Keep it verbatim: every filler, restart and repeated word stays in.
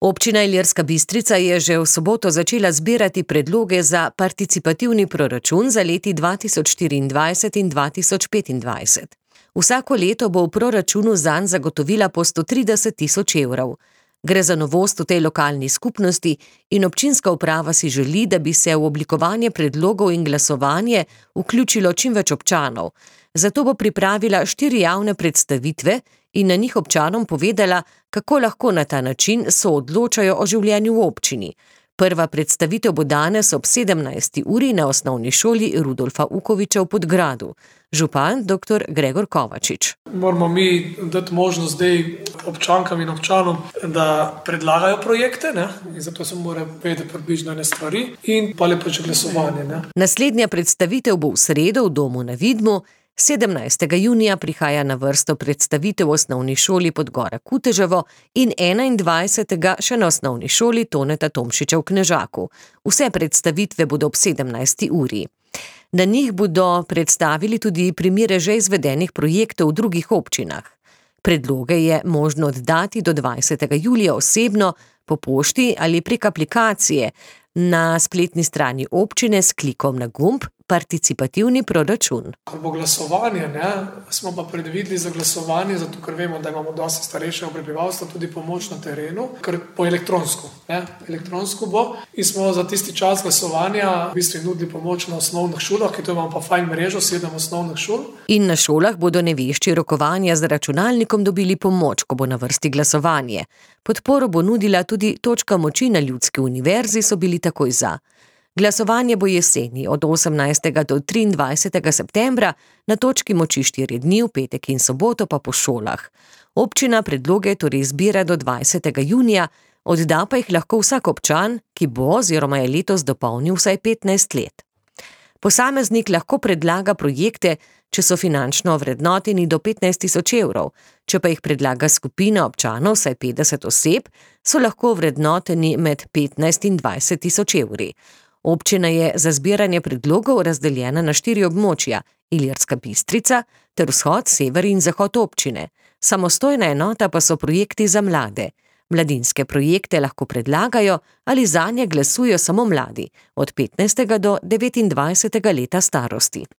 Občina Ilirska Bistrica je že v soboto začela zbirati predloge za participativni proračun za leti dva tisoč štiriindvajset in dva tisoč petindvajset. Vsako leto bo v proračunu zanj zagotovila po sto trideset tisoč evrov. Gre za novost v tej lokalni skupnosti in občinska uprava si želi, da bi se v oblikovanje predlogov in glasovanje vključilo čim več občanov. Zato bo pripravila štiri javne predstavitve in na njih občanom povedala, kako lahko na ta način soodločajo o življenju v občini. Prva predstavitev bo danes ob sedemnajsti uri na osnovni šoli Rudolfa Ukoviča v Podgradu. Župan doktor Gregor Kovačič. Moramo mi dati možnost zdaj občankam in občanom, da predlagajo projekte, ne? In zato se mora vedeti približno ene stvari in pa lepo že glasovanje. Ne? Naslednja predstavitev bo v sredo v domu na Vidmu. sedemnajstega junija prihaja na vrsto predstavitev v osnovni šoli Podgora Kuteževo in enaindvajsetega še na osnovni šoli Toneta Tomšiča v Knežaku. Vse predstavitve bodo ob sedemnajsti uri. Na njih bodo predstavili tudi primere že izvedenih projektov v drugih občinah. Predloge je možno oddati do dvajsetega julija osebno, po pošti ali prek aplikacije na spletni strani občine s klikom na gumb Participativni proračun. Ko bo glasovanje, ne, smo pa predvideli za glasovanje, zato ker vemo, da imamo dosti starejšega prebivalstva tudi pomoč na terenu, ker bo elektronsko. Ne, elektronsko bo in smo za tisti čas glasovanja v bistvu nudili pomoč na osnovnih šolah, ki to imamo pa fajn mrežo, sedem osnovnih šol. In na šolah bodo nevešči rokovanja z računalnikom dobili pomoč, ko bo na vrsti glasovanje. Podporo bo nudila tudi točka moči na Ljudski univerzi, so bili takoj za. Glasovanje bo jeseni od osemnajstega do triindvajsetega septembra, na točki moči štiri dni, v petek in soboto pa po šolah. Občina predloge torej zbira do dvajsetega junija, odda pa jih lahko vsak občan, ki bo oziroma je letos dopolnil vsaj petnajst let. Posameznik lahko predlaga projekte, če so finančno ovrednoteni do petnajst tisoč evrov, če pa jih predlaga skupina občanov, vsaj petdeset oseb, so lahko ovrednoteni med petnajst in dvajset tisoč evri. Občina je za zbiranje predlogov razdeljena na štiri območja, Ilirska Bistrica ter vzhod, sever in zahod občine. Samostojna enota pa so projekti za mlade. Mladinske projekte lahko predlagajo ali zanje glasujejo samo mladi, od petnajstega do devetindvajsetega leta starosti.